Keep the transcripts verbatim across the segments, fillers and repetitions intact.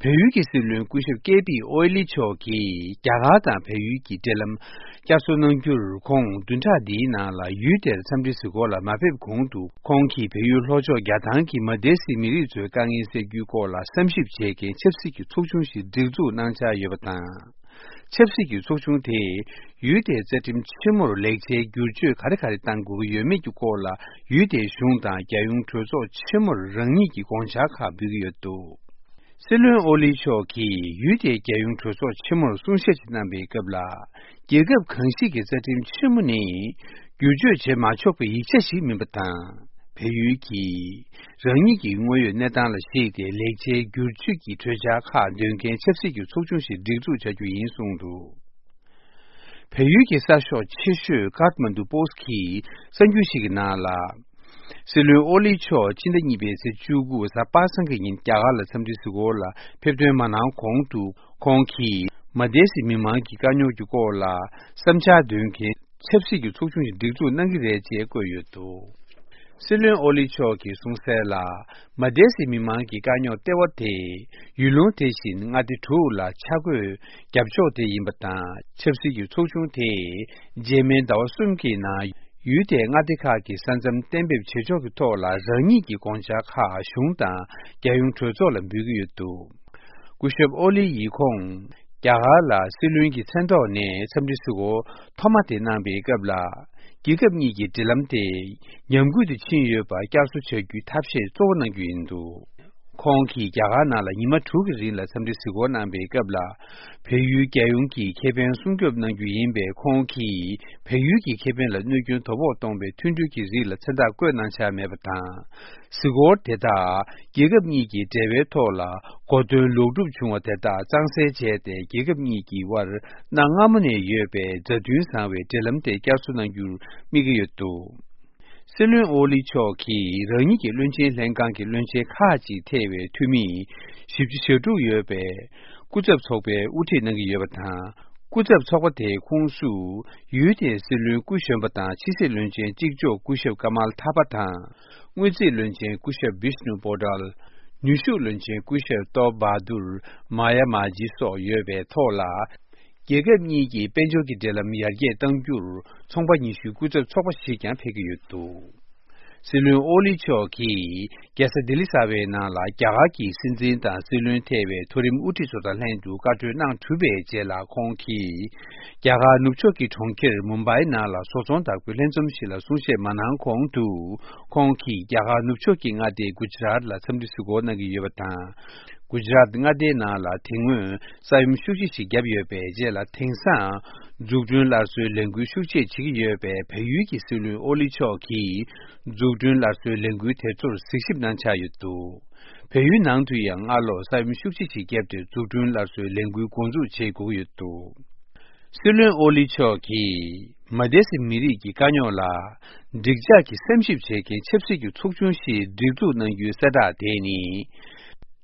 བལ་ཡུལ་གྱི་སྲིད་བློན་སྐུ་ཞབས་ཀེ་པི་ཨོ་ལི་མཆོག་གིས་རྒྱ་གར་དང་བལ་ཡུལ་གྱི་འབྲེལ་ལམ་བསྐྱར་གསོ་གནང་རྒྱུར། ཁོང་བདུན་ཕྲག་འདིའི་ནང་ལ་ཡུལ་དེར་འཚམས་འདྲི་གཟིགས་སྐོར་ལ་མ་ཕེབས་གོང་དུ། ཁོང་གིས་བལ་ཡུལ་ལྷོ་ཕྱོགས་རྒྱ་ཐང་གི་མ་དེ་སི་མི་རིགས་ཚོའི་དཀའ་ངལ་སེལ་རྒྱུའི་སྐོར་ལ་བསམ་ཞིབ་བྱེད་མཁན་ཆབ་སྲིད་ཀྱི་ཚོགས་ཆུང་ཞིག་སྒྲིག་འཛུགས་གནང་འཆར་ཡོད་པ་དང་། ཆབ་སྲིད་ཀྱི་ཚོགས་ཆུང་དེས་ཡུལ་དེའི་རྩ་ཁྲིམས་ཆེན་མོར་ལེགས་ཆའི་བསྒྱུར་བཅོས་ག་རེ་ག་རེ་གཏང་དགོས་ཀྱི་ཡོད་མེད་ཀྱི་སྐོར་ལ། ཡུལ་དེའི་གཞུང་དང་རྒྱལ་ཡོངས་གྲོས་ཚོགས་ཆེན་མོར་རང་ཉིད་ཀྱི་དགོངས་འཆར་ཁག་འབུལ་གྱི་ཡོད་འདུག། སྲིད་བློན་ཨོ་ལི་མཆོག་གིས་ཡུལ་དེའི་རྒྱལ་ཡོངས་གྲོས་ཚོགས་ཆེན་མོར་གསུང་བཤད་ཅིག་གནང་པའི་སྐབས་ལ། རྒྱལ་ཁབ་གང་ཞིག་གི་རྩ་ཁྲིམས་ཆེན་མོ་ནི་བསྒྱུར་བཅོས་བྱེད་མ་ཆོག་པའི་ཡིག་ཆ་ཞིག་མིན་པ་དང་། བལ་ཡུལ་གྱིས་རང་ཉིད་ཀྱི་དངོས་ཡོད་གནས་སྟངས་ལ་གཞིགས་ཏེ་ལེགས་ཆའི་བསྒྱུར་བཅོས་ཀྱི་གྲོས་འཆར་ཁག་འདོན་མཁན་ཆབ་སྲིད་ཀྱི་ཚོགས་ཆུང་ཞིག་སྒྲིག་འཛུགས་བྱ་རྒྱུ་ཡིན་གསུངས་འདུག། བལ་ཡུལ་གྱི་གསར་ཤོག་ཆེ་ཤོས་ཀཱཐ་མན་ཌུ་པོ་སི་གིས་གསར་འགྱུར་ཞིག་གི་ནང་ལ། སྲིད་བློན་ཨོ་ལི་མཆོག་ཕྱི་ཟླ་གཉིས་པའི་ཚེས་བཅུ་དགུ་གཟའ་པ་སངས་ཀྱི་ཉིན་རྒྱ་གར་ལ་འཚམས་འདྲི་གཟིགས་སྐོར་ལ་ཕེབས་ཐོན་མ་གནང་གོང་དུ། ཁོང་གིས་མ་དེ་སི་མི་མང་གི་དཀའ་རྙོག་གི་སྐོར་ལ་བསམ་འཆར་འདོན་མཁན་ཆབ་སྲིད་ཀྱི་ཚོགས་ཆུང་ཞིག་སྒྲིག་འཛུགས་གནང་གི་རེད་ཅེས་བཀོད་ཡོད་འདུག། སྲིད་བློན་ཨོ་ལི་མཆོག་གིས་གསུངས་གསལ་ལ། མ་དེ་སི་མི་མང་གི་དཀའ་རྙོག་ལྟེ་བ་དེ་ཡུལ་ལུང་དེ་བཞིན་མངའ་སྡེ་དྲུག་ལ་ཆ་བགོས་རྒྱབ་ཕྱོགས་དེ་ཡིན་པ་དང་། ཆབ་སྲིད་ཀྱི་ཚོགས་ཆུང་དེས་རྗེས་མའི་ཟླ་བ་གསུམ་གྱི་ནང་ཡུལ་དེའི་མངའ་སྡེ་ཁག་གི་ས་མཚམས་གཏན་འབེབས་བྱེད་ཕྱོགས་ཀྱི་ཐོག་ལ་རང་ཉིད་ཀྱི་དགོངས་འཆར་ཁག་གཞུང་དང་རྒྱལ་ཡོངས་གྲོས་ཚོགས་ལ་འབུལ་གྱི་ཡོད་འདུག། སྐུ་ཞབས་ཨོ་ལི་ཡིས་ཁོང་རྒྱ་གར་ལ་སྲིད་བློན་གྱི་མཚན་ཐོག་ནས་འཚམས་འདྲི་གཟིགས་སྐོར་ཐོག་མ་དེ་གནང་པའི་སྐབས་ལ། རྒྱལ་ཁབ་གཉིས་ཀྱི་འབྲེལ་ལམ་དེ་ཉམས་རྒུད་དུ་ཕྱིན་ཡོད་པར་བསྐྱར་གསོ་བྱ་རྒྱུའི་ཐབས་ཤེས་གཙོ་བོ་གནང་རྒྱུ་ཡིན་འདུག། ཁོང་གིས་རྒྱ་གར་ནང་ལ་ཉི་མ་དྲུག་གི་རིང་ལ་འཚམས་འདྲི་གཟིགས་སྐོར་གནང་པའི་སྐབས་ལ། བལ་ཡུལ་རྒྱལ་ཡོངས་ཀྱི་ཁེ་ཕན་སྲུང་སྐྱོབ་གནང་རྒྱུ་ཡིན་པས། ཁོང་གིས་བལ་ཡུལ་གྱི་ཁེ་ཕན་ལ་གནོད་སྐྱོན་དོ་ཕོག་གཏོང་བའི་མཐུན་གྲོས་ཀྱི་རིགས་ལ་མཚན་རྟགས་བཀོད་གནང་འཆར་མེད་པ་དང་། གཟིགས་སྐོར་དེ་དག་རྒྱལ་ཁབ་གཉིས་ཀྱི་འབྲེལ་བའི་ཐོག་ལ་གོ་སྟོན་ལོག་སྒྲུབ་བྱུང་བ་དེ་དག་གཙང་སེལ་བྱས་ཏེ། རྒྱལ་ཁབ་གཉིས་ཀྱི་དབར་གནའ་སྔ་མོ་ནས་ཡོད་པའི་མཛའ་མཐུན་བཟང་བའི་འབྲེལ་ལམ་དེ་བསྐྱར་གསོ་གནང་རྒྱུར་དམིགས་ཀྱི་ཡོད་འདུག། སྲིད་བློན་ཨོ་ལི་མཆོག་གིས་རང་ཉིད་ཀྱི་བློན་ཆེན་ལྷན་ཁང་གི་བློན་ཆེན་ཁག་ཅིག་ཐེ་བའི་འཐུས་མི་བཞི་བཅུ་ཞེ་དྲུག་ཡོད་པའི་སྐུ་ཚབ་ཚོགས་པའི་དབུ་ཁྲིད་གནང་གི་ཡོད་པ་དང་། སྐུ་ཚབ་ཚོགས་པ་དེའི་ཁོངས་སུ་ཡུལ་དེའི་སྲིད་བློན་སྐུ་གཞོན་པ་དང་ཕྱི་སྲིད་བློན་ཆེན་གཅིག་ལྕོགས་སྐུ་ཞབས་ཀ་མལ་ཐ་པ་དང་། དངུལ་རྩིས་བློན་ཆེན་སྐུ་ཞབས་བིཤ་ནུ་པོ་ཏཱལ། ནུས་ཤུགས་བློན་ཆེན་སྐུ་ཞབས་ཏོབ་བྷ་དུར་མཱ་ཡ་མཱ་ཇི་སོགས་ཡོད་པའི་ཐོག་ལ། རྒྱལ་ཁབ་གཉིས་ཀྱི་དཔལ་འབྱོར་གྱི་འབྲེལ་ལམ་ཡར་རྒྱས་གཏང་རྒྱུར་ཚོང་པ་ཉི་ཤུའི་སྐུ་ཚབ་ཚོགས་པ་ཞིག་ཀྱང་ཕེབས་ཀྱི་ཡོད་འདུག། སྲིད་བློན་ཨོ་ལི་མཆོག་གིས་རྒྱལ་ས་ལྡི་ལི་གསར་པའི་ནང་ལ་རྒྱ་གར་གྱི་སྲིད་འཛིན་དང་སྲིད་བློན་ཐེ་བའི་མཐོ་རིམ་དབུ་ཁྲིད་ཚོ་དང་ལྷན་དུ་བཀའ་གྲོས་གནང་གྲུབ་པའི་རྗེས་ལ། ཁོང་གིས་རྒྱ་གར་ནུབ་ཕྱོགས་ཀྱི་གྲོང་ཁྱེར་མུམ་བྷའི་ནང་ལ་བཟོ་ཚོང་བདག་པོའི་ལྷན་འཛོམས་ཤིག་ལ་གསུང་བཤད་མ་གནང་གོང་དུ། ཁོང་གིས་རྒྱ་གར་ནུབ་ཕྱོགས་ཀྱི་མངའ་སྡེ་གུ་ཇི་རཱཏ་ལ་འཚམས་འདྲི་གཟིགས་སྐོར་གནང་གི་ཡོད་པ་དང་། གུ་ཇི་རཱཏ་མངའ་སྡེའི་ནང་ལ་དེ་སྔོན་ས་ཡོམ་ཤུགས་ཆེ་ཞིག་བརྒྱབ་ཡོད་པའི་རྗེས་ལ། དེང་སང་འཛུགས་སྐྲུན་སླར་གསོའི་ལས་འགུལ་ཤུགས་ཆེ་བྱེད་ཀྱི་ཡོད་པས། བལ་ཡུལ་གྱི་སྲིད་བློན་ཨོ་ལི་མཆོག་གིས་འཛུགས་སྐྲུན་སླར་གསོའི་ལས་འགུལ་དེ་ཚོར་གཟིགས་ཞིབ་གནང་འཆར་ཡོད་འདུག། བལ་ཡུལ་ནང་དུ་ཡང་སྔ་ལོ་ས་ཡོམ་ཤུགས་ཆེ་ཞིག་བརྒྱབ་སྟེ། འཛུགས་སྐྲུན་སླར་གསོའི་ལས་འགུལ་འགོ་འཛུགས་བྱེད་དགོས་ཀྱི་ཡོད་འདུག། སྲིད་བློན་ཨོ་ལི་མཆོག་གིས་མ་དེ་སི་མི་རིགས་ཀྱི་དཀའ་རྙོག་ལ་འགྲིག་འཇགས་ཀྱི་བསམ་ཞིབ་བྱེད་མཁན་ཆབ་སྲིད་ཀྱི་ཚོགས་ཆུང་ཞིག་སྒྲིག་འཛུགས་གནང་རྒྱུའི་གསལ་བསྒྲགས་དེ་ནི།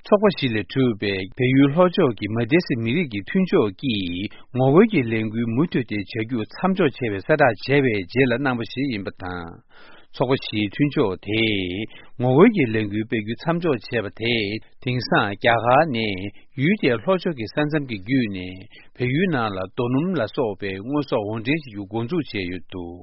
ཚོགས་པ་བཞི་ལས་གྲུབ་པའི་བལ་ཡུལ་ལྷོ་ཕྱོགས་ཀྱི་མ་དེ་སི་མི་རིགས་ཀྱི་མཐུན་ཕྱོགས་ཀྱིས་ངོ་རྒོལ་གྱི་ལས་འགུལ་མུ་མཐུད་དེ་བྱ་རྒྱུ་མཚམས་འཇོག་བྱས་པའི་གསལ་བསྒྲགས་བྱས་པའི་རྗེས་ལ་གནང་བ་ཞིག་ཡིན་པ་དང་། ཚོགས་པ་བཞིའི་མཐུན་ཕྱོགས་དེས་ངོ་རྒོལ་གྱི་ལས་འགུལ་སྤེལ་རྒྱུ་མཚམས་འཇོག་བྱས་པ་དེས། དེང་སང་རྒྱ་གར་ནས་ཡུལ་དེའི་ལྷོ་ཕྱོགས་ཀྱི་ས་མཚམས་ཀྱི་བརྒྱུད་ནས་བལ་ཡུལ་ནང་ལ་རྡོ་སྣུམ་ལ་སོགས་པའི་དངོས་ཟོག་འོར་འདྲེན་བྱེད་རྒྱུ་འགོ་འཛུགས་བྱས་ཡོད་འདུག།